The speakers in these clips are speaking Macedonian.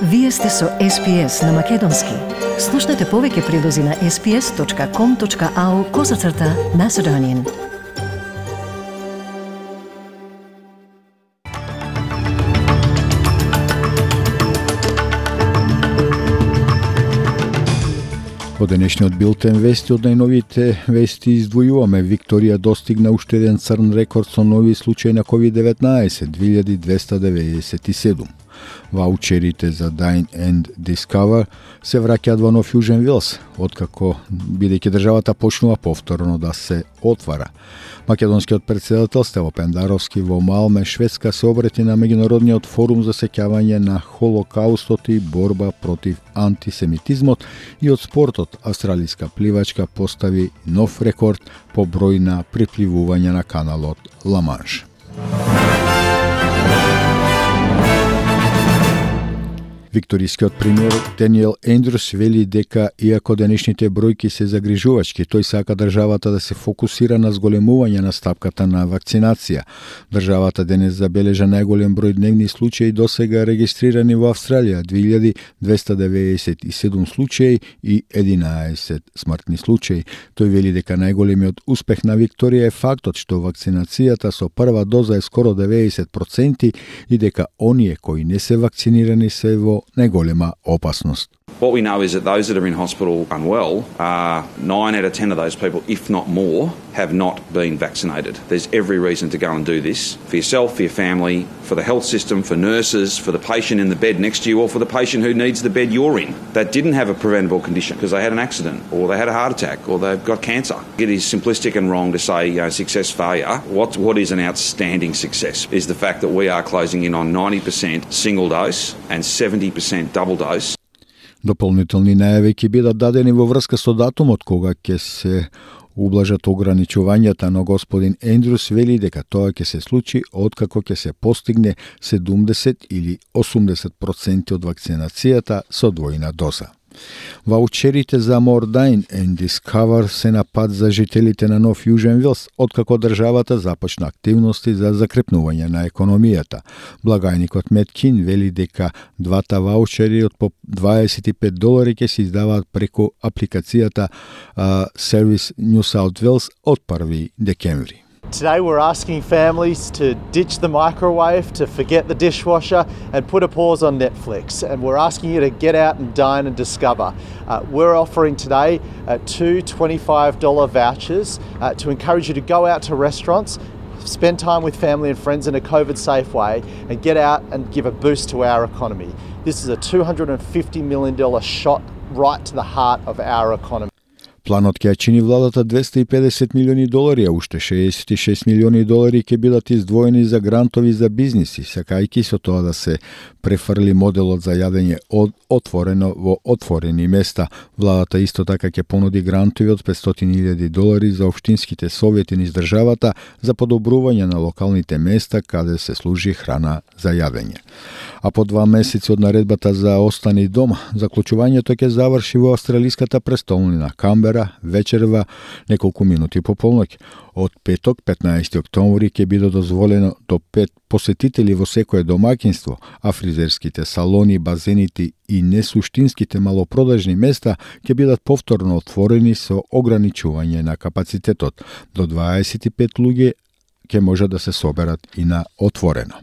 Вие сте со SPS на Македонски. Слушнете повеќе прилози на sps.com.au/Macedonian. Во денешниот билтен вести од најновите вести издвојуваме Викторија достигна уште еден црн рекорд со нови случаи на COVID-19 2297. Ваучерите за Dine and Discover се враќаат во Нов Јужен Вилс, откако бидејќи државата почнува повторно да се отвара. Македонскиот претседател Стево Пендаровски во Малме, Шведска, се обрети на меѓународниот форум за сеќавање на Холокаустот и борба против антисемитизмот, и од спортот австралиска пливачка постави нов рекорд по број на припливување на каналот Ла Манш. Викторискиот премиер Даниел Ендрюс вели дека иако денешните бројки се загрижувачки, тој сака државата да се фокусира на зголемување на стапката на вакцинација. Државата денес забележа најголем број дневни случаи досега регистрирани во Австралија, 2297 случаи и 11 смртни случаи. Тој вели дека најголемиот успех на Викторија е фактот што вакцинацијата со прва доза е скоро 90% и дека оние кои не се вакцинирани се во најголема опасност. What we know is that those that are in hospital unwell, 9 out of 10 of those people, if not more, have not been vaccinated. There's every reason to go and do this for yourself, for your family, for the health system, for nurses, for the patient in the bed next to you, or for the patient who needs the bed you're in that didn't have a preventable condition because they had an accident or they had a heart attack or they've got cancer. It is simplistic and wrong to say success, failure. What is an outstanding success is the fact that we are closing in on 90% single dose and 70% double dose. Дополнителни најави ќе бидат дадени во врска со датумот кога ќе се ублажат ограничувањата, но господин Ендрюс вели дека тоа ќе се случи откако ќе се постигне 70 или 80% од вакцинацијата со двојна доза. Ваучерите за More Dine and Discover се на пат за жителите на Нов Јужен Вилс, откако државата започна активности за закрепнување на економијата. Благајникот Меткин вели дека двата ваучери од по $25 ќе се издаваат преку апликацијата Service New South Wales од 1 декември. Today we're asking families to ditch the microwave, to forget the dishwasher and put a pause on Netflix. And we're asking you to get out and dine and discover. We're offering today two $25 vouchers to encourage you to go out to restaurants, spend time with family and friends in a COVID-safe way and get out and give a boost to our economy. This is a $250 million shot right to the heart of our economy. Планот ќе чини владата $250 милиони, а уште $66 милиони ќе бидат издвоени за грантови за бизниси, сакајќи со тоа да се префрли моделот за јадење отворено во отворени места. Владата исто така ќе понуди грантови од $500,000 за општинските совети низ државата за подобрување на локалните места каде се служи храна за јадење. А по 2 месеци од наредбата за остани дома, заклучувањето ќе заврши во австралиската престолнина Камбера вечерва неколку минути по полноќ. Од петок, 15 октомври, ќе биде дозволено до 5 посетители во секое домаќинство, а фризерските салони, базените и несуштинските малопродажни места ќе бидат повторно отворени со ограничување на капацитетот. До 25 луѓе ќе може да се соберат и на отворено.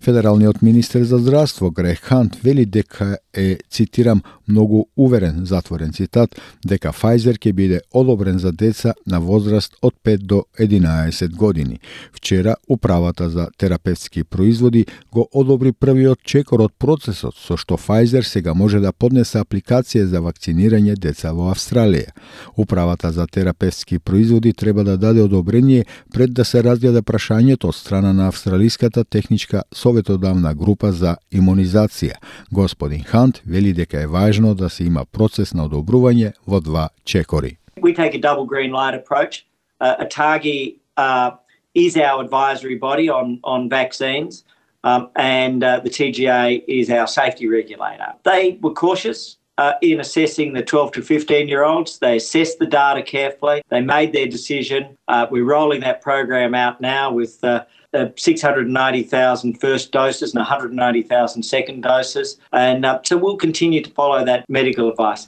Федералниот министер за здравство Грег Хант вели дека е, цитирам, многу уверен, затворен цитат, дека Pfizer ќе биде одобрен за деца на возраст од 5 до 11 години. Вчера управата за терапевтски производи го одобри првиот чекор од процесот, со што Pfizer сега може да поднесе апликација за вакцинирање деца во Австралија. Управата за терапевтски производи треба да даде одобрение пред да се разгледа прашањето од страна на Австралиската техничка советодавна група за имунизација. Господин Хант вели дека е важно да се има процес на одобрување во 2 чекори. We take a double green light approach. ATAGI is our advisory body on vaccines, and the TGA is our safety regulator. They were cautious. in assessing the 12 to 15-year-olds. They assessed the data carefully. They made their decision. We're rolling that program out now with 690,000 first doses and 190,000 second doses. And so we'll continue to follow that medical advice.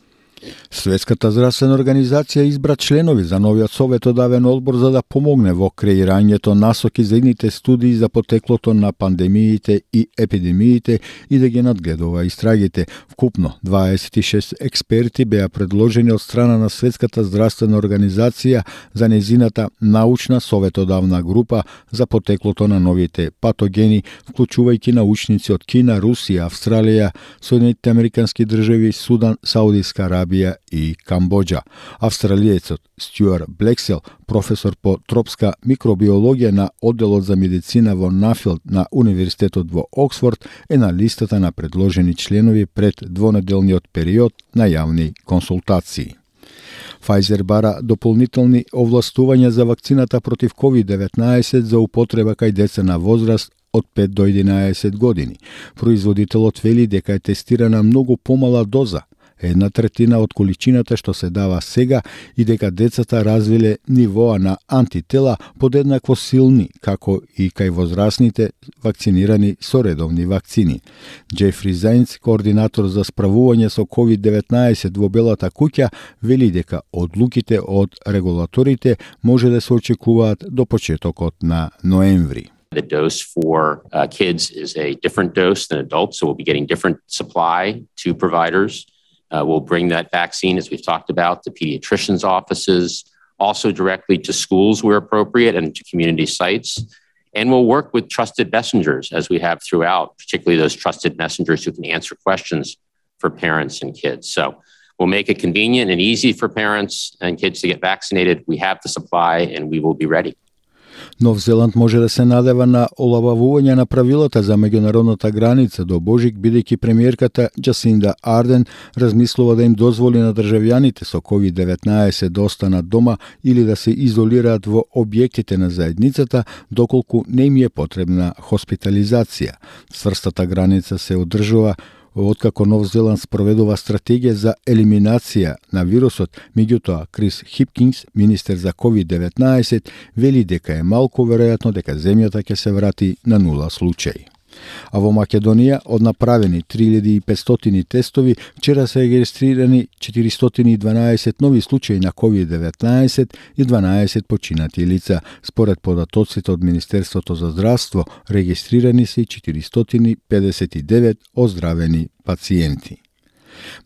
Светската здравствена организација избра членови за новиот советодавен одбор за да помогне во креирањето насоки за идните студии за потеклото на пандемиите и епидемиите и да ги надгледува истрагите. Вкупно 26 експерти беа предложени од страна на Светската здравствена организација за незината научна советодавна група за потеклото на новите патогени, вклучувајќи научници од Кина, Русија, Австралија, Соединетите американски држави, Судан, Саудиска Арабија и Камбоџа. Австралиецот Стюарт Блексел, професор по тропска микробиологија на одделот за медицина во Нафилд на Универзитетот во Оксфорд, е на листата на предложени членови пред двонеделниот период на јавни консултации. Pfizer бара дополнителни овластувања за вакцината против COVID-19 за употреба кај деца на возраст од 5 до 11 години. Производителот вели дека е тестирана многу помала доза, 1/3 од количината што се дава сега, и дека децата развиле нивоа на антитела подеднакво силни како и кај возрастните вакцинирани со редовни вакцини. Джефри Зајнц, координатор за справување со COVID-19 во Белата куќа, вели дека одлуките од регулаторите може да се очекуваат до почетокот на ноември. The dose for kids is a different dose than adults, so we'll be getting different supply to providers. We'll bring that vaccine, as we've talked about, to pediatricians' offices, also directly to schools where appropriate and to community sites. And we'll work with trusted messengers, as we have throughout, particularly those trusted messengers who can answer questions for parents and kids. So we'll make it convenient and easy for parents and kids to get vaccinated. We have the supply and we will be ready. Нов Зеланд може да се надева на олабавување на правилата за меѓународната граница до Божик, бидејќи премиерката Джасинда Арден размислува да им дозволи на државјаните со COVID-19 да останат дома или да се изолираат во објектите на заедницата доколку не им е потребна хоспитализација. Цврстата граница се одржува откако Нов Зеланд спроведува стратегија за елиминација на вирусот. Меѓутоа, Крис Хипкинс, министер за COVID-19, вели дека е малку веројатно дека земјата ќе се врати на 0 случаи. А во Македонија, од направени 3500 тестови, вчера се регистрирани 412 нови случаи на COVID-19 и 12 починати лица. Според податоците од Министерството за здравство, регистрирани се 459 оздравени пациенти.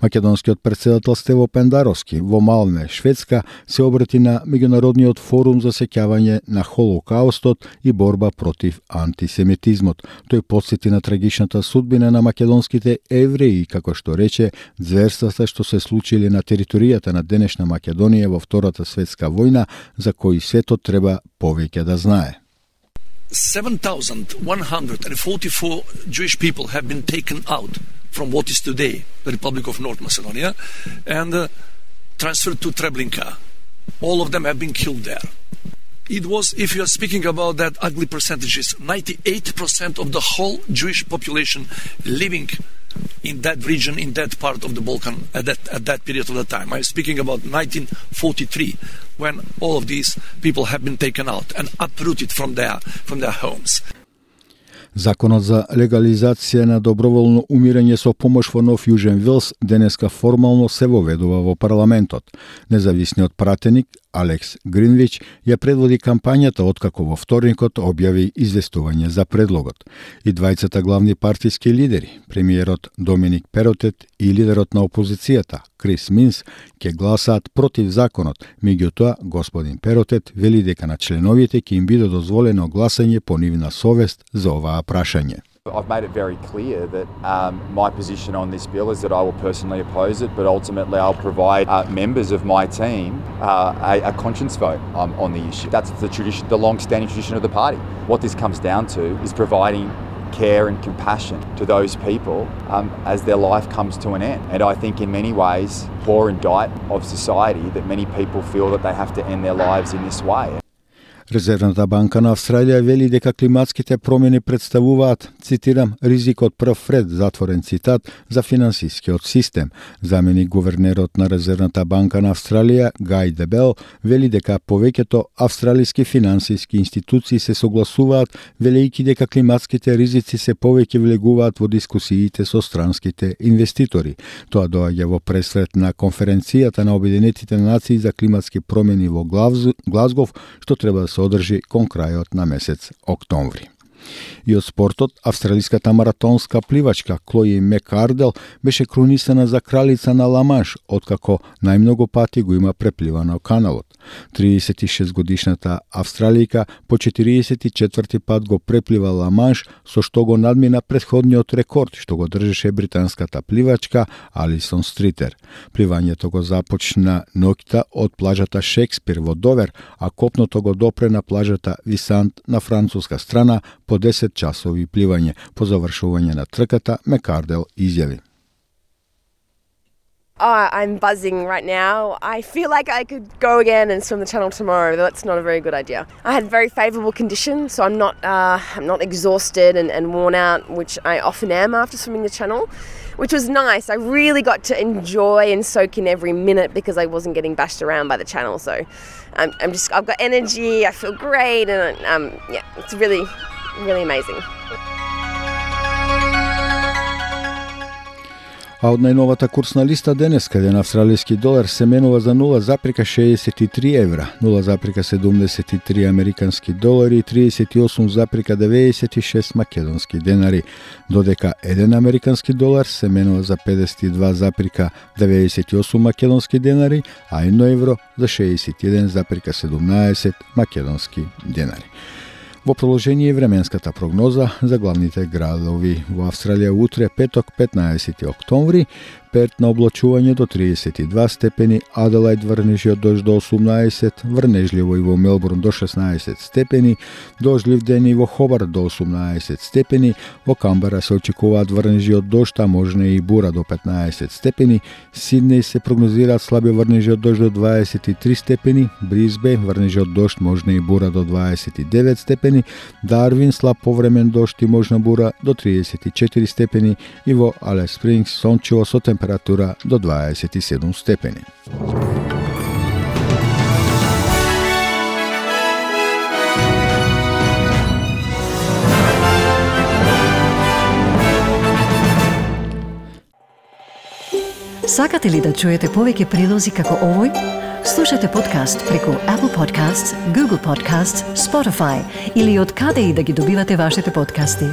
Македонскиот председател Стево Пендаровски во Малме, Шведска, се обрати на Меѓународниот форум за сеќавање на Холокаустот и борба против антисемитизмот. Тој потсети на трагичната судбина на македонските евреи, како што рече, зверствата што се случили на територијата на денешна Македонија во Втората светска војна, за кои светот треба повеќе да знае. 7,144 Jewish people have been taken out from what is today the Republic of North Macedonia and transferred to Treblinka. All of them have been killed there. It was, if you are speaking about that ugly percentages, 98% of the whole Jewish population living in that region, in that part of the Balkan at that period of the time. I'm speaking about 1943, when all of these people have been taken out and uprooted from their homes. Законот за легализација на доброволно умирање со помош во Нов Јужен Велс денеска формално се воведува во парламентот. Независниот пратеник Алекс Гринвич ја предводи кампањата откако во вторникот објави известување за предлогот. И двајцата главни партиски лидери, премиерот Доминик Перотет и лидерот на опозицијата Крис Минс, ќе гласаат против законот. Меѓутоа, господин Перотет вели дека на членовите ќе им биде дозволено гласање по нивна совест за оваа прашање. I've made it very clear that my position on this bill is that I will personally oppose it, but ultimately I'll provide members of my team a conscience vote on the issue. That's the tradition, the long-standing tradition of the party. What this comes down to is providing care and compassion to those people as their life comes to an end. And I think in many ways, poor indict of society that many people feel that they have to end their lives in this way. Резервната банка на Австралија вели дека климатските промени представуваат, цитирам, ризик од прв ред, затворен цитат, за финансискиот систем. Заменик гувернерот на Резервната банка на Австралија, Гај Дебел, вели дека повеќето австралиски финансиски институции се согласуваат, велејќи дека климатските ризици се повеќе влегуваат во дискусиите со странските инвеститори. Тоа доаѓа во пресред на конференцијата на Обединетите нации за климатски промени во Глазгов, што треба да се одржи кон крајот на месец октомври. И од спортот, австралиската маратонска пливачка Клои Мекардел беше крунисана за кралица на Ла-Манш, откако најмногу пати го има препливано каналот. 36 годишната австралијка по 44 пат го преплива Ла-Манш, со што го надмина претходниот рекорд што го држеше британската пливачка Алисон Стритер. Пливањето го започна ноќта од плажата Шекспир во Довер, а копното го допре на плажата Висант на француска страна по 10 часови пливање. По завршување на трката, Мекардел изјави: I'm buzzing right now. I feel like I could go again and swim the channel tomorrow. That's not a very good idea. I had very favourable conditions, so I'm not exhausted and worn out, which I often am after swimming the channel, which was nice. I really got to enjoy and soak in every minute because I wasn't getting bashed around by the channel. So I've got energy. I feel great, and it's really amazing. А од најновата курсна листа денес, каде на австралијски долар се менува за 0,63 евра, 0,73 американски долари и 38,96 македонски денари, додека 1 американски долар се менува за 52,98 македонски денари, а 1 евро за 61,17 македонски денари. Во продолжение временската прогноза за главните градови во Австралија утре, петок, 15 октомври, Перт на облачување до 32 степени, Аделајд врнежи од дожд до 18, врнежливо и во Мелбурн до 16 степени, дождлив ден и во Хобарт до 18 степени, во Камбера се очекуваат врнежи од дожд, а можна и бура до 15 степени, Сиднеј се прогнозираат слаби врнежи од дожд до 23 степени, Брисбејн врнежи од дожд, можна и бура до 29 степени, Дарвин слаб повремен дожд и можна бура до 34 степени и во Алис Спрингс сончево со температура до 27 степени. Сакате ли да чуете повеќе прилози како овој? Слушате подкаст преку Apple Podcasts, Google Podcasts, Spotify или од каде и да ги добивате вашите подкасти.